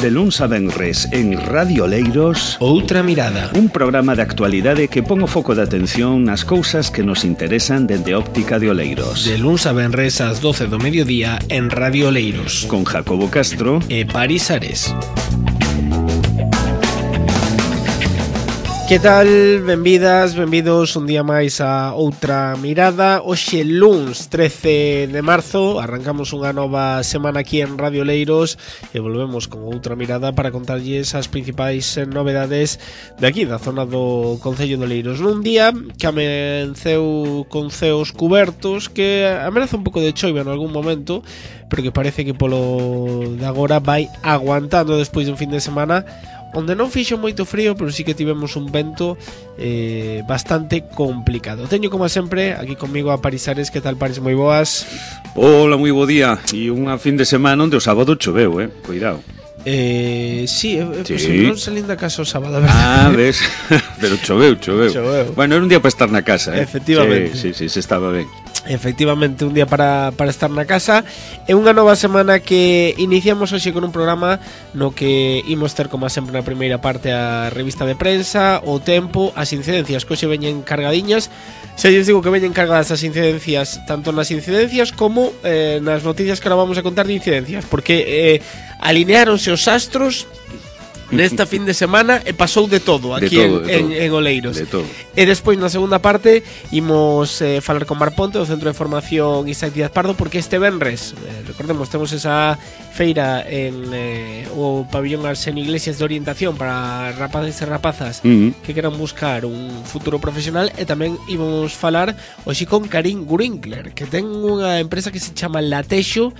De luns a venres en Radio Oleiros, Outra Mirada, un programa de actualidade que pon o foco de atención nas cousas que nos interesan dende óptica de Oleiros. de luns a venres ás 12 do mediodía en Radio Oleiros, Con Jacobo Castro e Paris Ares. Que tal? Benvidas, benvidos un día máis a Outra Mirada. Hoxe luns 13 de marzo arrancamos unha nova semana aquí en Radio Oleiros e volvemos con Outra Mirada para contarlles as principais novedades de aquí, da zona do Concello de Oleiros. Nun día que amenceu con ceos cubertos, que amenaza un pouco de choiva en algún momento, pero que parece que polo de agora vai aguantando despois dun fin de semana onde non fixo moito frío, pero sí que tivemos un vento bastante complicado. Teño, como sempre, aquí comigo a Paris Ares. Que tal, Paris? Moi boas. Hola, moi bo día. E unha fin de semana onde o sábado choveu, cuidado. Sí, pues non salín da casa o sábado, a verdade. Ah, ves, pero choveu. Bueno, era un día para estar na casa, Efectivamente. Sí, se estaba ben. Efectivamente, un día para estar na casa. É unha nova semana que iniciamos hoxe con un programa no que imos ter, como sempre, na primeira parte a revista de prensa, o tempo, as incidencias que hoxe veñen cargadiñas. Se lles digo que veñen cargadas as incidencias, tanto nas incidencias como nas noticias que ahora vamos a contar de incidencias, porque alineáronse os astros nesta fin de semana e pasou de todo aquí en Oleiros. De todo. E despois, na segunda parte, imos falar con Mar Ponte do Centro de Formación Isaac Díaz Pardo, porque este venres, recordemos, temos esa feira en o pabillón Arsenio Iglesias de orientación para rapaces e rapazas que queran buscar un futuro profesional. E tamén imos falar hoxe con Karin Grinkler, que ten unha empresa que se chama Latexo,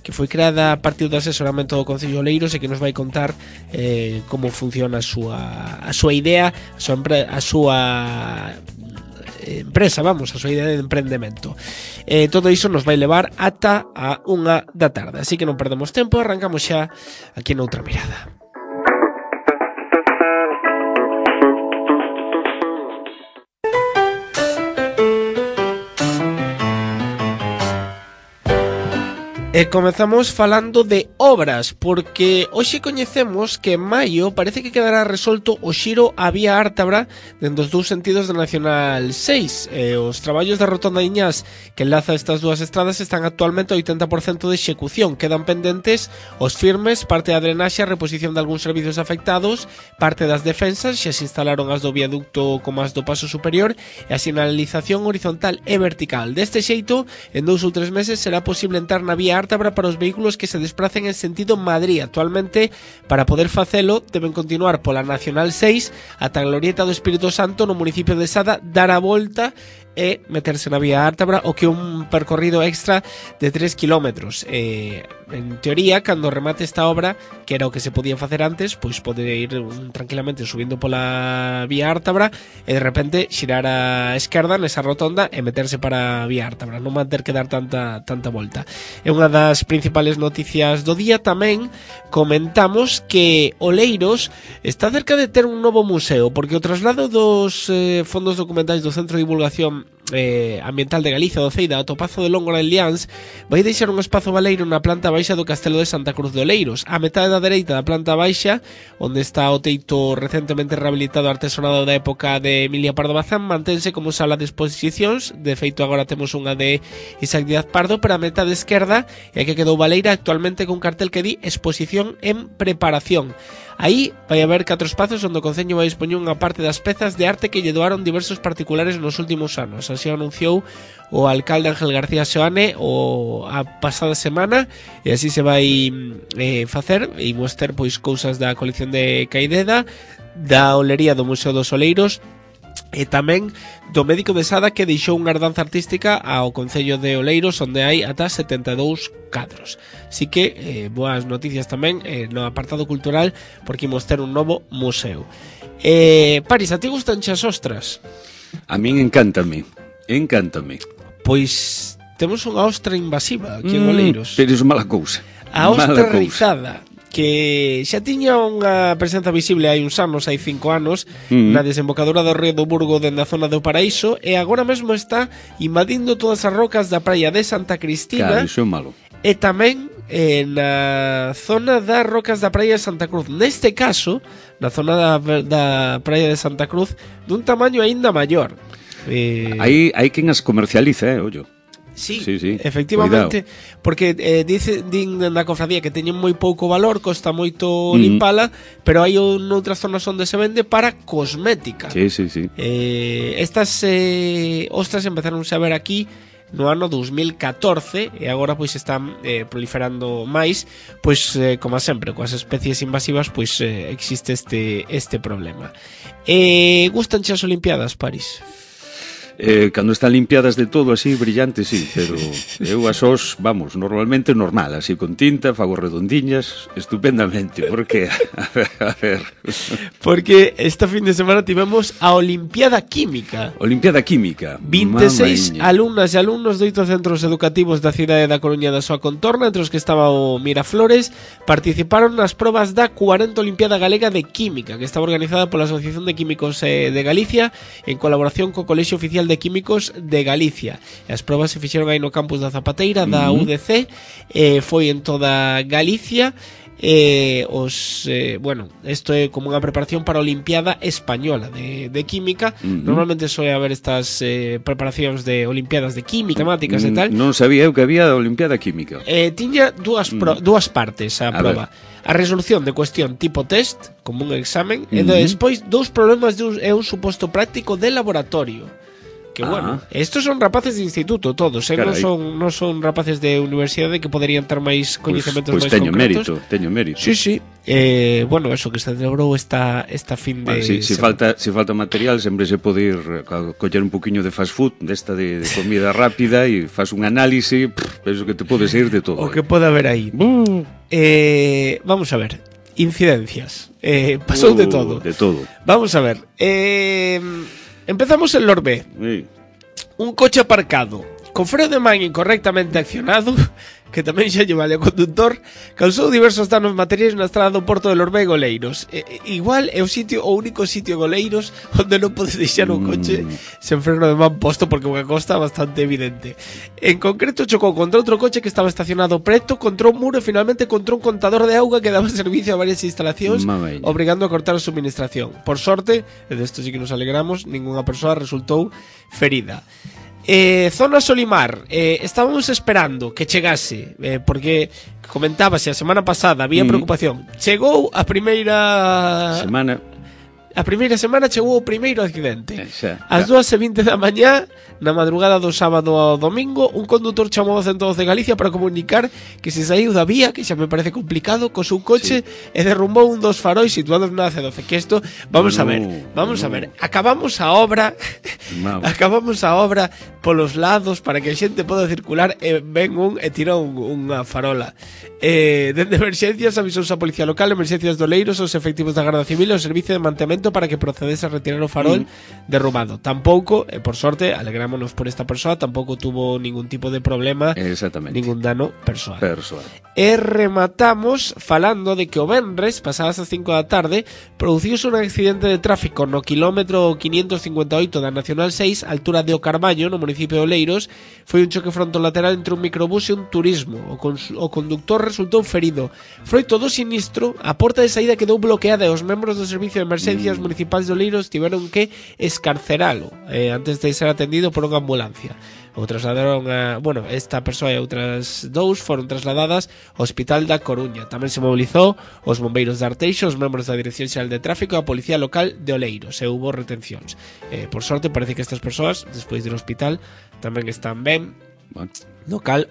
que foi creada a partir do asesoramento do Concello de Oleiros e que nos vai contar como funciona a súa idea, a súa empresa, a súa idea de emprendemento. Todo iso nos vai levar ata a 1 da tarde, así que non perdemos tempo, arrancamos xa aquí en Outra Mirada. E comezamos falando de obras, porque hoxe coñecemos que en maio parece que quedará resolto o xiro á vía Ártabra dentro dos dous sentidos da Nacional 6. Os traballos da rotonda Iñás que enlaza estas dúas estradas están actualmente ao 80% de execución. Quedan pendentes os firmes, parte da drenaxe, a reposición de algúns servizos afectados, parte das defensas, xa se instalaron as do viaducto como as do paso superior, e a sinalización horizontal e vertical. Deste xeito, en 2 ou 3 meses será posible entrar na vía Ártabra para os vehículos que se despracen en sentido Madrid. Actualmente, para poder facelo, deben continuar pola Nacional 6 ata a Glorieta do Espírito Santo no municipio de Sada, dar a volta e meterse na vía Ártabra, o que un percorrido extra de 3 kilómetros. En teoría, cando remate esta obra, que era o que se podía facer antes, pois pode ir tranquilamente subindo pola vía Ártabra e de repente xirar a esquerda nesa rotonda e meterse para a vía Ártabra, non van ter que dar tanta volta. É unha das principales noticias do día. Tamén comentamos que Oleiros está cerca de ter un novo museo, porque o traslado dos fondos documentais do Centro de Divulgación Ambiental de Galicia, do CEIDA, ao Topazo de Lóngora en Liáns, vai deixar un espazo baleiro na planta baixa do Castelo de Santa Cruz de Oleiros. A metade da dereita da planta baixa, onde está o teito recentemente rehabilitado artesonado da época de Emilia Pardo Bazán, mantense como sala de exposicións. De feito, agora temos unha de Isaac Díaz Pardo, pero a metade esquerda é a que quedou baleira, actualmente con cartel que di exposición en preparación. Aí vai haber 4 espazos onde o Concello vai dispoñer unha parte das pezas de arte que lle doaron diversos particulares nos últimos anos. Así anunciou o alcalde Ángel García Seoane a pasada semana, e así se vai facer. E imos ter pois cousas da colección de Caideda, da olería do Museo dos Oleiros, e tamén do médico de Sada, que deixou unha herdanza artística ao Concello de Oleiros, onde hai ata 72 cadros. Así que boas noticias tamén no apartado cultural, porque imos ter un novo museo. Paris, a ti gustan as ostras? A min encántame. Pois temos unha ostra invasiva aquí en Oleiros. Pero é mala cousa. A ostra rizada, que xa tiña unha presenza visible hai uns anos, hai 5 anos, na desembocadura do río do Burgo dende a zona do Paraíso, e agora mesmo está invadindo todas as rocas da praia de Santa Cristina. Claro, iso é malo. E tamén na zona das rocas da praia de Santa Cruz. Neste caso, na zona da praia de Santa Cruz, dun tamaño aínda maior. Hai quen as comercializa, ollo. Sí, sí, efectivamente, cuidado. Porque din na cofradía que teñen moi pouco valor, costa moito limpala, pero hai outras zonas onde se vende para cosmética. Sí. Estas ostras empezaron a ver aquí no ano 2014 e agora pois están proliferando máis, pois como sempre, coas especies invasivas, pois existe este problema. Gustan as Olimpiadas, París? Cando están limpiadas de todo así, brillantes, sí, pero eu as os, vamos, normalmente normal, así con tinta, fago redondiñas, estupendamente, porque, a ver... Porque esta fin de semana tivemos a Olimpiada Química. Olimpiada Química. 26 alumnas e alumnos de 8 centros educativos da cidade da Coruña da súa contorna, entre os que estaba o Miraflores, participaron nas probas da 40 Olimpiada Galega de Química, que estaba organizada pola Asociación de Químicos de Galicia, en colaboración co Colexio Oficial de Químicos de Galicia. As probas se fixeron aí no campus da Zapateira da UDC, foi en toda Galicia. Bueno, isto é como unha preparación para a Olimpiada Española de Química. Normalmente soe haber estas preparacións de Olimpiadas de Química, temáticas e tal. Non sabía eu que había a Olimpiada Química. Tiña dúas partes a prova. A resolución de cuestión tipo test, como un examen, e despois dous problemas e un suposto práctico de laboratorio. Que bueno, estos son rapaces de instituto todos, non son rapaces de universidade que poderían ter máis coñecementos máis concretos. Teño mérito. Sí. Bueno, eso que se celebrou esta fin de... Si falta material, sempre se pode ir coller un poquinho de fast food, desta de comida rápida, e faz un análise, penso que te podes ir de todo. O que pode haber aí. Vamos a ver, incidencias. Pasou de todo. De todo. Vamos a ver. Empezamos en Lorbé. Sí. Un coche aparcado con freo de man incorrectamente accionado, que tamén xa lle vale ao conductor, causou diversos danos materiais na estrada do Porto de Lorbé e Goleiros. Igual é o único sitio Goleiros onde non podes deixar un coche sen freno de man posto, porque unha costa bastante evidente. En concreto chocou contra outro coche que estaba estacionado preto, contra un muro e finalmente contra un contador de auga que daba servicio a varias instalacións, obrigando a cortar a suministración. Por sorte, e desto sí que nos alegramos, ningunha persoa resultou ferida. Zona Solimar, estábamos esperando que chegase, porque comentábase a semana pasada, había preocupación. Chegou a primeira semana chegou o primeiro accidente. Ás 2:20 da mañá, na madrugada do sábado ao domingo, un condutor chamou ao 112 de Galicia para comunicar que se saiu da vía, que xa me parece complicado, co seu coche e derrumbou un dos faróis situados na C12. Que isto, vamos a ver. Acabamos a obra polos lados para que a xente poda circular e ven e tira unha farola. Dende emerxencias avisouse a Policía Local, emerxencias de Oleiros, os efectivos da Garda Civil e o Servicio de Mantemento para que procedese a retirar o farol derrubado. Tampouco, por sorte, alegrámonos por esta persoa, tampouco tuvo ningún tipo de problema, ningún dano persoal. E rematamos falando de que o venres, pasadas as 5 da tarde, produciuse un accidente de tráfico no quilómetro 558 da Nacional 6, altura de O Carballo, no municipio de Oleiros. Foi un choque frontolateral entre un microbús e un turismo. O conductor resultou ferido. Froito do sinistro, a porta de saída quedou bloqueada e os membros do Servicio de Emerxencias Municipais de Oleiros tiveron que escarceralo antes de ser atendido por unha ambulancia. O trasladaron esta persoa e outras dous foron trasladadas ao Hospital da Coruña. Tamén se mobilizou os bombeiros de Arteixo, os membros da Dirección Xeral de Tráfico e a Policía Local de Oleiros, e hubo retencións. Por sorte, parece que estas persoas, despois do hospital, tamén están ben. No cal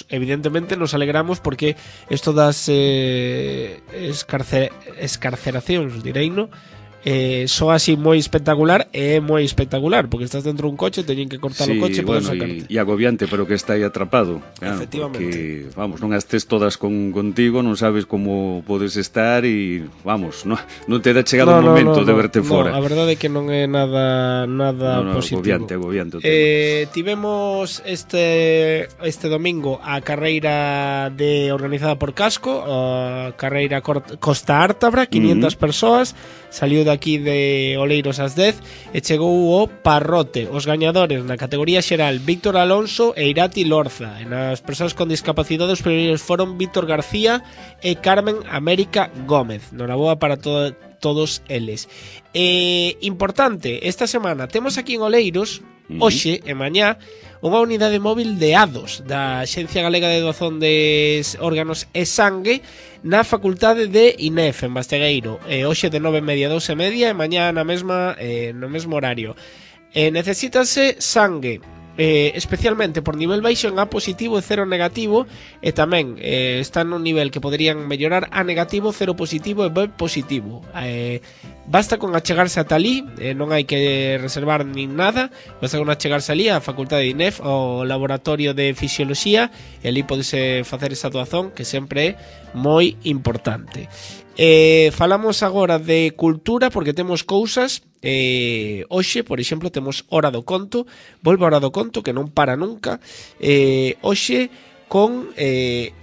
evidentemente nos alegramos, porque isto das escarceracións, direino, soa así moi espectacular, e é moi espectacular porque estás dentro dun coche, teñen que cortar o coche para sacarte. E agobiante, pero que está aí atrapado, efectivamente, porque, vamos, non estés todas contigo, non sabes como podes estar e, vamos, non te dá chegado o momento de verte fora. A verdade é que non é nada positivo. Agobiante. Tivemos este domingo a carreira organizada por Casco, a carreira Costa Ártabra, 500 persoas, saliu da partido aquí de Oleiros ás 10 e chegou o Parrote. Os gañadores na categoría xeral Víctor Alonso e Irati Lorza. E nas persoas con discapacidade os primeiros foron Víctor García e Carmen América Gómez. Noraboa para todos eles. Importante, esta semana temos aquí en Oleiros, hoxe e mañá, unha unidade móvil de ADOS da Axencia Galega de Doazón de Órganos e Sangue na Facultade de INEF en Bastegueiro, hoxe de 9:30 a 12:30 e mañá na mesma, no mesmo horario. Necesítase sangue, especialmente por nivel baixo en A positivo e 0 negativo, e tamén está nun nivel que poderían mellorar A negativo, 0 positivo e B positivo. Basta con achegarse ata ali, non hai que reservar nin nada, basta con achegarse ali á Facultade de INEF, ao Laboratorio de Fisioloxía, e ali podese facer esa doazón que sempre é moi importante. Falamos agora de cultura porque temos cousas. Hoxe, por exemplo, temos Hora do Conto. Volve a Hora do Conto, que non para nunca. Hoxe con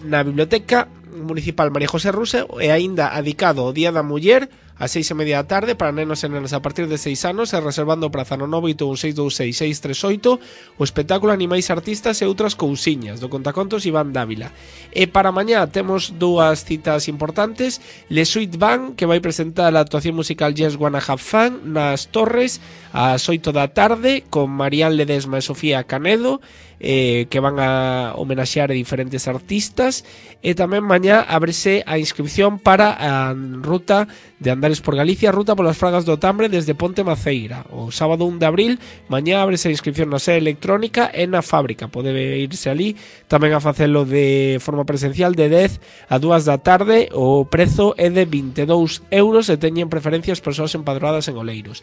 na Biblioteca Municipal María José Rusa, e aínda adicado ao Día da Muller ás 6:30 da tarde para nenos e nenas a partir de 6 anos, e reservando praza no 981626638, o espectáculo Animais Artistas e outras cousiñas do contacontos Iván Dávila. E para mañá temos dúas citas importantes: Le Sweet Band, que vai presentar a actuación musical Just Wanna Have Fun nas Torres ás 8 da tarde con Marián Ledesma e Sofía Canedo, que van a homenaxear a diferentes artistas. E tamén mañá ábrese a inscripción para a ruta de Andares por Galicia, ruta polas Fragas do Tambre desde Ponte Maceira. O sábado 1 de abril mañá ábrese a inscripción na sede electrónica e na fábrica, pode irse ali tamén a facelo de forma presencial de 10 a 2 da tarde. O prezo é de 22 euros e teñen preferencia as persoas empadroadas en Oleiros.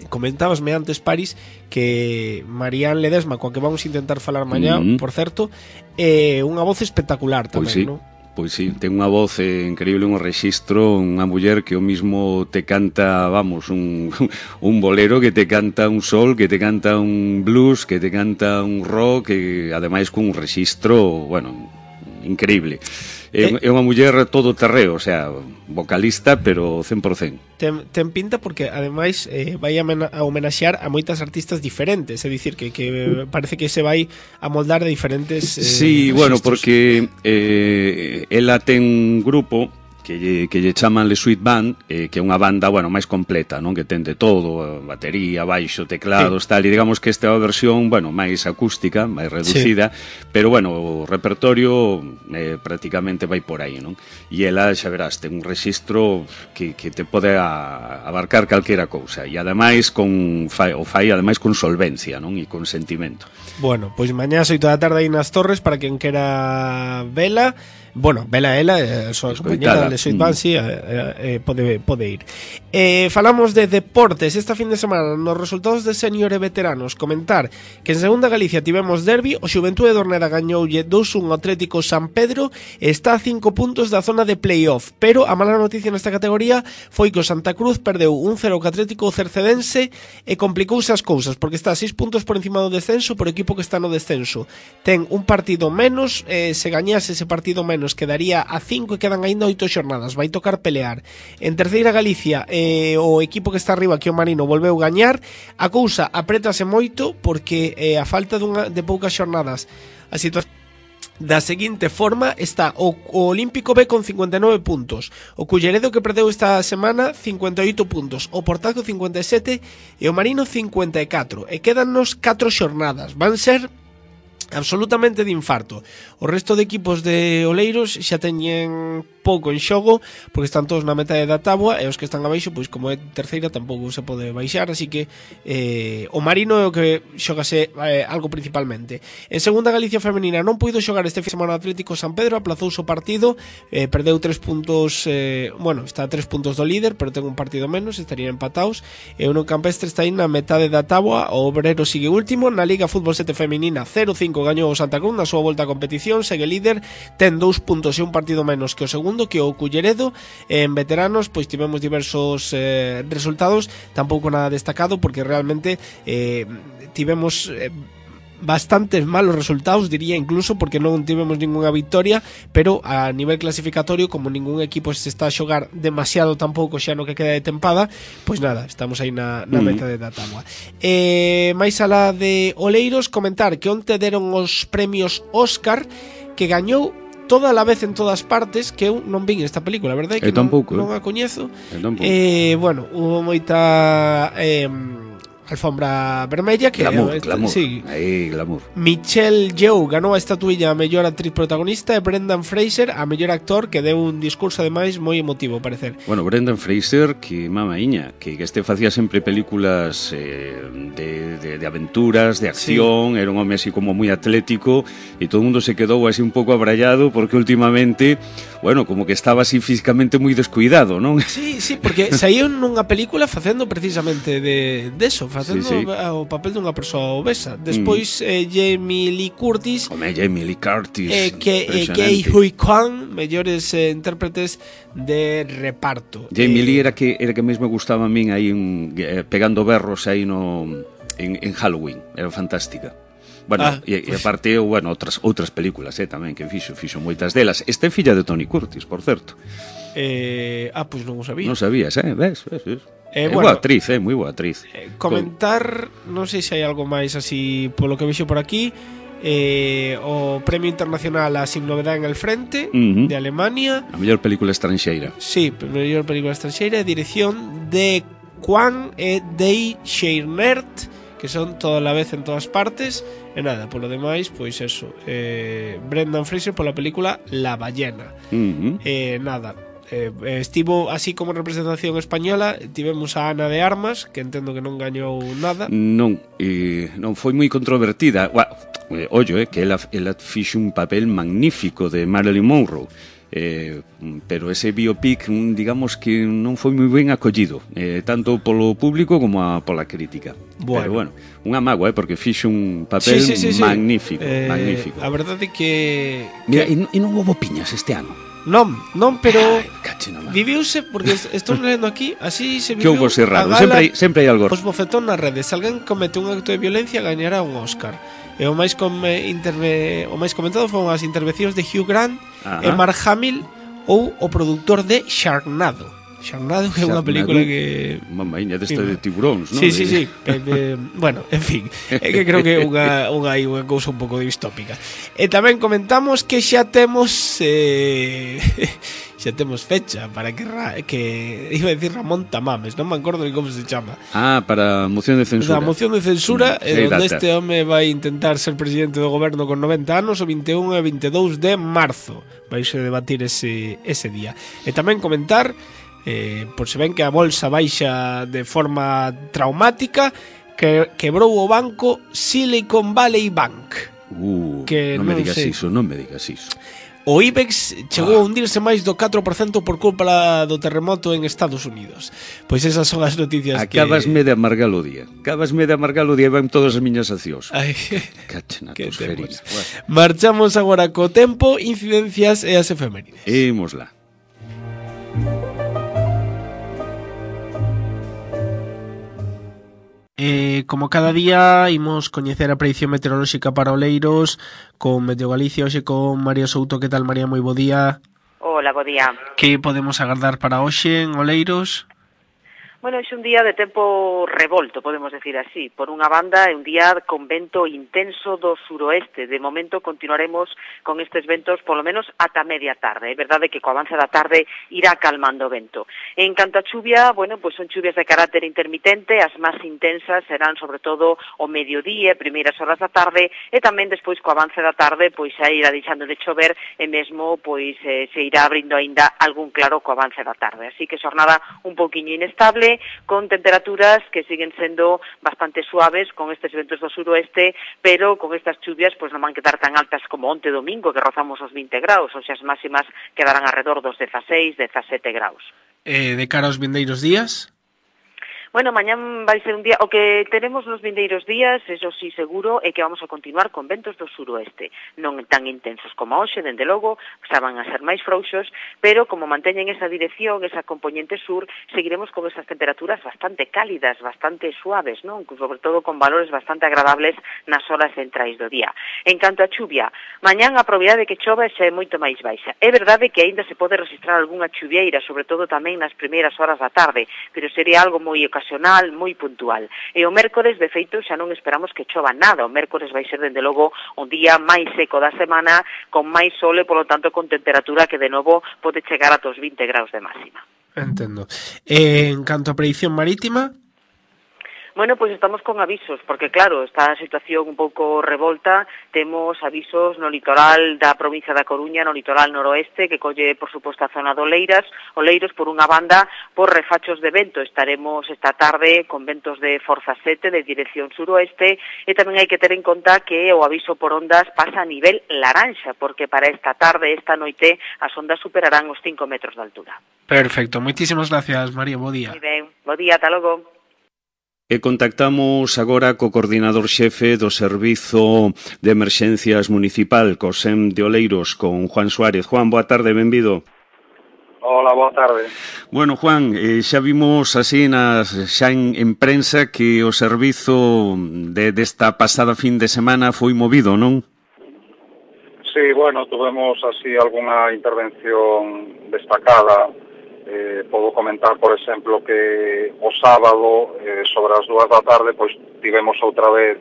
Comentábasme antes, Paris, que Marián Ledesma, coa que vamos a intentar falar mañá, por certo, é unha voz espectacular tamén, pois sí, non? Pois sí, ten unha voz increíble, un rexistro, unha muller que o mismo te canta, vamos, un bolero, que te canta un sol, que te canta un blues, que te canta un rock, que ademais cun rexistro, bueno, increíble. É unha muller todo terreo, o sea, vocalista, pero 100%. Ten pinta porque, ademais, vai a homenaxear a moitas artistas diferentes, é dicir, que parece que se vai a moldar de diferentes sí, bueno, porque ela ten un grupo que lle chaman Le Sweet Band, que é unha banda, bueno, máis completa, non? Que ten de todo, batería, baixo, teclados, tal, e digamos que esta é a versión, bueno, máis acústica, máis reducida, pero, bueno, o repertorio prácticamente vai por aí, non? E ela, xa verás, ten un rexistro que te pode abarcar calquera cousa, e ademais fai ademais con solvencia, non? E con sentimento. Bueno, pois mañá 8 da tarde aí nas Torres para quen quera vela. Bueno, vela ela, a súa compañera de Sweet Band, sí, pode ir. Falamos de deportes esta fin de semana. Nos resultados de senior e veteranos, comentar que en segunda Galicia tivemos derbi. O Xuventude de Orneda gañoulle 2-1 ao Atlético San Pedro e está a 5 puntos da zona de playoff, pero a mala noticia nesta categoría foi que o Santa Cruz perdeu 1-0 co Atlético Cercedense e complicouse as cousas porque está a 6 puntos por encima do descenso, por equipo que está no descenso ten un partido menos. Se gañase ese partido menos quedaría a 5 e quedan ainda 8 xornadas, vai tocar pelear. En terceira Galicia, o equipo que está arriba, que o Marino, volveu gañar. A cousa aprétase moito porque a falta de poucas xornadas, a situación da seguinte forma está o Olímpico B con 59 puntos, o Culleredo, que perdeu esta semana, 58 puntos, o Portazo 57 e o Marino 54, e quedannos 4 xornadas, van ser absolutamente de infarto. O resto de equipos de Oleiros xa teñen pouco en xogo porque están todos na metade da táboa, e os que están abaixo, pois como é terceira, tampouco se pode baixar, así que o Marino é o que xogase algo principalmente. En segunda Galicia femenina non puido xogar este fin de semana Atlético San Pedro, aplazouse o partido, perdeu 3 puntos, bueno, está a 3 puntos do líder, pero ten un partido menos, estarían empatados, e o Campestre está aí na metade da táboa. O Obrero sigue último. Na Liga Fútbol 7 femenina 0-5 gañou o Santa Cruz na súa volta a competición, segue líder, ten 2 puntos e un partido menos que o segundo, que o Culleredo. En veteranos pois tivemos diversos resultados, tampouco nada destacado porque realmente tivemos bastantes malos resultados, diría incluso, porque non tivemos ninguna victoria, pero a nivel clasificatorio, como ningún equipo se está a xogar demasiado tampouco xa no que queda de tempada, pois nada, estamos aí na meta da táboa. Mais alá de Oleiros, comentar que onte deron os premios Óscar, que gañou Toda la vez en todas partes, que eu non vin esta película, verdade? Que tampouco, non a coñezo. Bueno, hubo moita alfombra vermella, que glamour. Sí. Aí, glamour. Michelle Yeoh ganou a estatuilla a mellor actriz protagonista e Brendan Fraser a mellor actor, que deu un discurso ademais moi emotivo, parecer. Bueno, Brendan Fraser, que mamaíña, que este facía sempre películas de aventuras, de acción, era un home así como moi atlético, e todo o mundo se quedou así un pouco abrallado porque últimamente, bueno, como que estaba así físicamente moi descuidado, non? Sí, porque saíu nunha película facendo precisamente de eso, facendo o papel dunha persoa obesa. Despois Jamie Lee Curtis, Jamie Lee Curtis, Ke Huy Quan, mellores intérpretes de reparto. Jamie Lee era que mesmo gustaba a min aí pegando berros aí en Halloween, era fantástica. Bueno, e aparte, bueno, outras películas tamén que fixo moitas delas. Esta é filla de Tony Curtis, por certo. Pois non o sabía. Non sabías, ves? Boa actriz, moi boa actriz. Comentar, non sei se hai algo máis así polo que vexo por aquí. O Premio Internacional a Sin Novedad en el Frente, de Alemania. A mellor película estranxeira. Sí, mellor película estranxeira, dirección de Kwan e Dei Scheinert, que son Toda la vez en todas partes. E nada, polo demais, pois eso, Brendan Fraser pola película La ballena. Nada, estivo así como representación española, tivemos a Ana de Armas, que entendo que non gañou nada. Non foi moi controvertida. Que ela fixo un papel magnífico de Marilyn Monroe. Pero ese biopic, digamos que non foi moi ben acollido, tanto polo público como pola crítica. Pero bueno, unha mágoa, porque fixo un papel magnífico. A verdade que... Mira, e non houve piñas este ano. Non, pero viviuse, porque estou lendo aquí, así se viviu. Que houve ser raro, sempre hai algo. Os bofetón nas redes, se alguén comete un acto de violencia gañará un Óscar. E o máis comentado foron as intervencións de Hugh Grant e Mark Hamill ou o produtor de Sharknado, que é unha película que... Mamaíña desta de tiburóns, non? Sí. Bueno, en fin, é que creo que é unha cousa un pouco distópica. E tamén comentamos que xa temos fecha para que iba a decir Ramón Tamames, non me acordo ni como se chama. Para a moción de censura. A moción de censura, onde este home vai intentar ser presidente do goberno con 90 anos, o 21 e 22 de marzo. Vais a debatir ese día. E tamén comentar, por se ven que a bolsa baixa de forma traumática, que quebrou o banco Silicon Valley Bank. Non me digas iso. O IBEX chegou a hundirse máis do 4% por culpa do terremoto en Estados Unidos. Pois esas son as noticias que... Acabasme de amargar o día e van todas as miñas accións. Cachen a tos ferina. Marchamos agora co tempo, incidencias e as efemérides. Imos lá. Como cada día, imos coñecer a predicción meteorolóxica para Oleiros con Meteo Galicia, hoxe con María Souto. Que tal, María? Moi bo día. Hola, bo día. Que podemos agardar para hoxe en Oleiros? Bueno, é un día de tempo revolto, podemos decir así. Por unha banda, é un día con vento intenso do suroeste. De momento continuaremos con estes ventos polo menos ata media tarde. É verdade que co avance da tarde irá calmando o vento. En canto a chuvia, bueno, pois son chuvias de carácter intermitente. As máis intensas serán sobre todo o mediodía, primeiras horas da tarde, e tamén despois co avance da tarde, pois xa irá deixando de chover e mesmo pois se irá abrindo aínda algún claro co avance da tarde. Así que xornada un pouquiño inestable, con temperaturas que siguen sendo bastante suaves con estes ventos do suroeste, pero con estas chuvias pois non van quedar tan altas como onte domingo, que rozamos os 20 graus, ou xa as máximas quedarán alrededor dos 16, 17 graus. De cara aos vindeiros días? Bueno, mañán vai ser un día, o que tenemos nos vindeiros días, eso sí seguro, é que vamos a continuar con ventos do suroeste, non tan intensos como hoxe, dende logo, xa van a ser máis frouxos, pero como manteñen esa dirección, esa componente sur, seguiremos con esas temperaturas bastante cálidas, bastante suaves, non? Sobre todo con valores bastante agradables nas horas centrais do día. En canto a chuvia, mañán a probabilidade de que chova xa é moito máis baixa. É verdade que aínda se pode registrar algunha chuvieira, sobre todo tamén nas primeiras horas da tarde, pero sería algo moi ocasional, moi puntual. E o mércores, de feito, xa non esperamos que chova nada. O mércores vai ser, dende logo, un día máis seco da semana, con máis sol e, polo tanto, con temperatura que, de novo, pode chegar ata os 20 graus de máxima. Entendo. En canto a predicción marítima... Bueno, pois estamos con avisos, porque claro, está a situación un pouco revolta, temos avisos no litoral da provincia da Coruña, no litoral noroeste, que colle, por suposto, a zona de Oleiros, por unha banda, por refachos de vento. Estaremos esta tarde con ventos de forza 7, de dirección suroeste, e tamén hai que ter en conta que o aviso por ondas pasa a nivel laranxa, porque para esta tarde, esta noite, as ondas superarán os 5 metros de altura. Perfecto, moitísimas gracias, María, bo día. Moi ben, bo día, ata logo. E contactamos agora co coordinador xefe do Servizo de Emerxencias Municipal, co SEM de Oleiros, con Juan Suárez. Juan, boa tarde, benvido. Hola, boa tarde. Bueno, Juan, xa vimos así xa en prensa que o servizo desta pasada fin de semana foi movido, non? Sí, bueno, tuvemos así algunha intervención destacada. Podo comentar, por exemplo, que o sábado, sobre as 2 da tarde, pois tivemos outra vez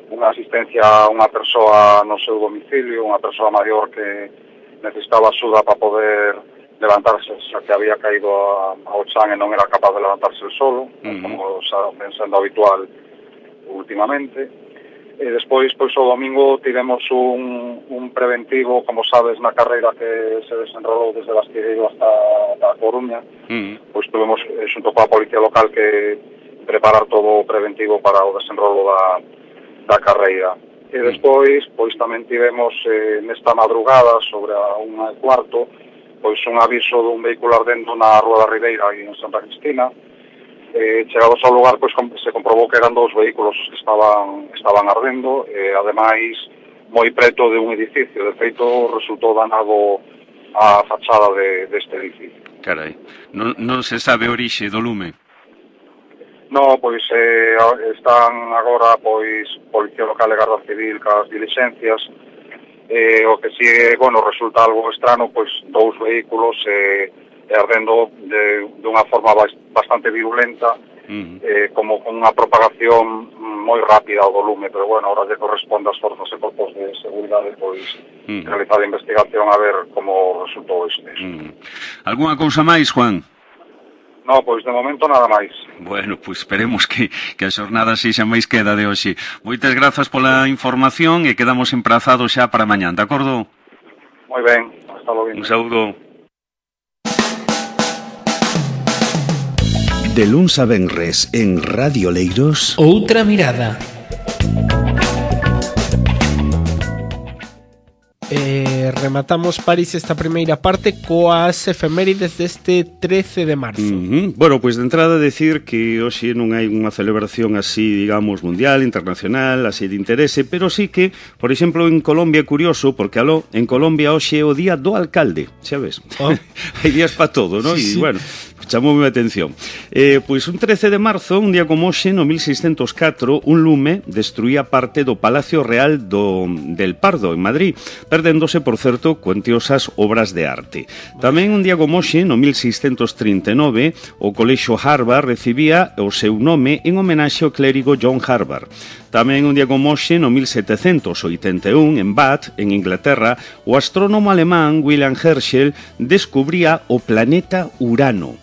unha asistencia a unha persoa no seu domicilio, unha persoa maior que necesitaba axuda para poder levantarse, xa que había caído ao chan e non era capaz de levantarse el solo, como xa ven sendo habitual últimamente. E despois, pois, o domingo tivemos un preventivo, como sabes, na carreira que se desenrolou desde Bastilleiro hasta a Coruña. Pois tuvemos, xunto coa policía local, que preparar todo o preventivo para o desenrolo da carreira. E despois, pois, tamén tivemos nesta madrugada, sobre a 1:15, pois un aviso dun vehículo ardendo na Rúa da Ribeira, aí en Santa Cristina. Chegados ao lugar, pois se comprobou que eran 2 vehículos que estaban ardendo, e ademais moi preto de un edificio. De feito, resultou danado a fachada deste edificio. Carai, non se sabe a orixe do lume? No, pois están agora, pois, Policía Local e Garda Civil cas dilixencias. O que si, bueno, resulta algo estrano, pois 2 vehículos ardendo de unha forma bastante virulenta, como con unha propagación moi rápida ao volume, pero bueno, ahora lle corresponde ás forzas e corpos de seguridade, pois, realizar a investigación a ver como resultou este. Alguna cousa máis, Juan? No, pois de momento nada máis. Bueno, pois esperemos que a xornada sexa máis queda de hoxe. Moitas grazas pola información e quedamos emprazados xa para mañán, de acordo? Moi ben, hasta logo. Un saúdo. De luns a venres en Radio Oleiros. Outra mirada. Rematamos, París, esta primeira parte coas efemérides deste 13 de marzo. Bueno, pois de entrada decir que hoxe non hai unha celebración así, digamos, mundial, internacional, así de interese, pero sí que, por exemplo, en Colombia é curioso, porque en Colombia hoxe é o día do alcalde, xa ves? Hai días para todo, non? Sí, E, bueno, chamoume a atención. Pois un 13 de marzo, un día como hoxe, no 1604, un lume destruía parte do Palacio Real del Pardo, en Madrid, perdéndose, por certo, cuantiosas obras de arte. Tamén un día como hoxe, no 1639, o Colexio Harvard recibía o seu nome en homenaxe ao clérigo John Harvard. Tamén un día como hoxe, no 1781, en Bath, en Inglaterra, o astrónomo alemán William Herschel descubría o planeta Urano.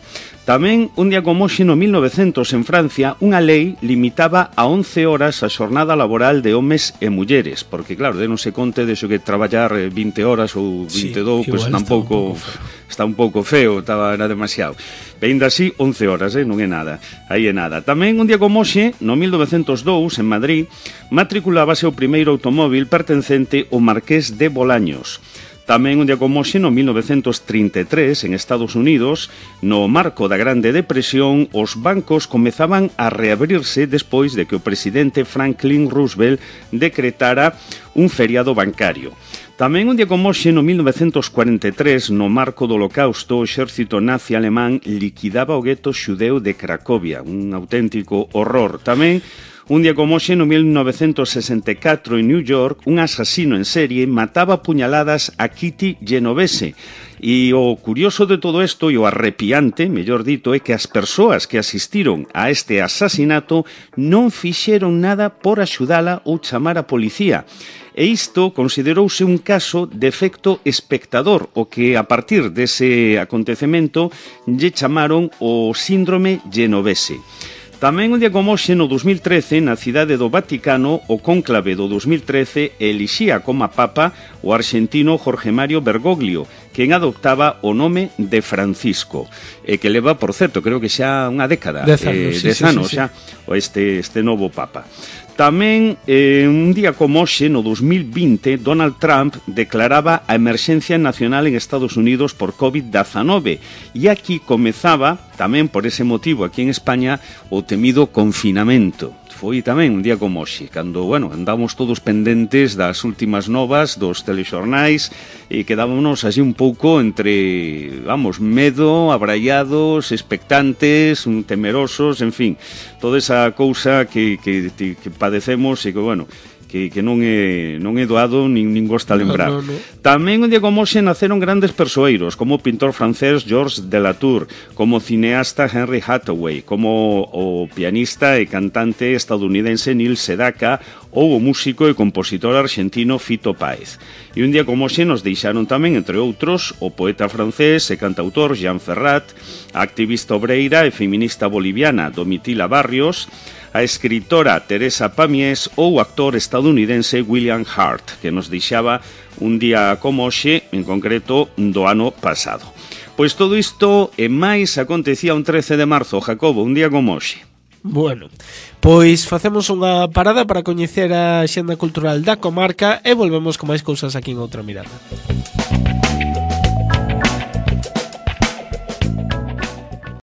Tamén, un día como hoxe, no 1900, en Francia, unha lei limitaba a 11 horas a xornada laboral de homes e mulleres, porque, claro, denos conte de xo que traballar 20 horas ou 22, pois tampouco está un pouco feo, era demasiado. E ainda así, 11 horas, non é nada, aí é nada. Tamén, un día como hoxe, no 1902, en Madrid, matriculábase o primeiro automóvil pertencente ao Marqués de Bolaños. Tamén un día como hoxe, no 1933, en Estados Unidos, no marco da Grande Depresión, os bancos comezaban a reabrirse despois de que o presidente Franklin Roosevelt decretara un feriado bancario. Tamén un día como hoxe, no 1943, no marco do Holocausto, o exército nazi alemán liquidaba o gueto xudeu de Cracovia, un auténtico horror. Tamén un día como hoxe, no 1964, en New York, un asasino en serie mataba a puñaladas a Kitty Genovese. E o curioso de todo isto, e o arrepiante, mellor dito, é que as persoas que asistiron a este asasinato non fixeron nada por axudala ou chamar a policía. E isto considerouse un caso de efecto espectador, o que a partir dese acontecemento lle chamaron o síndrome Genovese. Tamén un día como hoxe, no 2013, na cidade do Vaticano, o cónclave do 2013 elixía como papa o arxentino Jorge Mario Bergoglio, quen adoptaba o nome de Francisco, e que leva, por certo, creo que xa unha década, 10 anos, xa, este novo papa. Tamén, un día como hoxe, no 2020, Donald Trump declaraba a emerxencia nacional en Estados Unidos por COVID-19 e aquí comezaba, tamén por ese motivo aquí en España, o temido confinamento. Foi tamén un día como hoxe, cando, andamos todos pendentes das últimas novas dos telexornais e quedámonos así un pouco entre, medo, abraiados, expectantes, temerosos, en fin, toda esa cousa que padecemos e que non é doado nin gosta lembrar. No. Tamén un día como hoxe naceron grandes persoeiros, como o pintor francés Georges Delatour, como o cineasta Henry Hathaway, como o pianista e cantante estadounidense Neil Sedaka ou o músico e compositor argentino Fito Páez. E un día como hoxe nos deixaron tamén, entre outros, o poeta francés e cantautor Jean Ferrat, a activista obreira e feminista boliviana Domitila Barrios, a escritora Teresa Pamies ou o actor estadounidense William Hart, que nos deixaba un día como hoxe, en concreto, do ano pasado. Pois todo isto e máis acontecía un 13 de marzo, Jacobo, un día como hoxe. Bueno, pois facemos unha parada para coñecer a xenda cultural da comarca e volvemos con máis cousas aquí en Outra Mirada.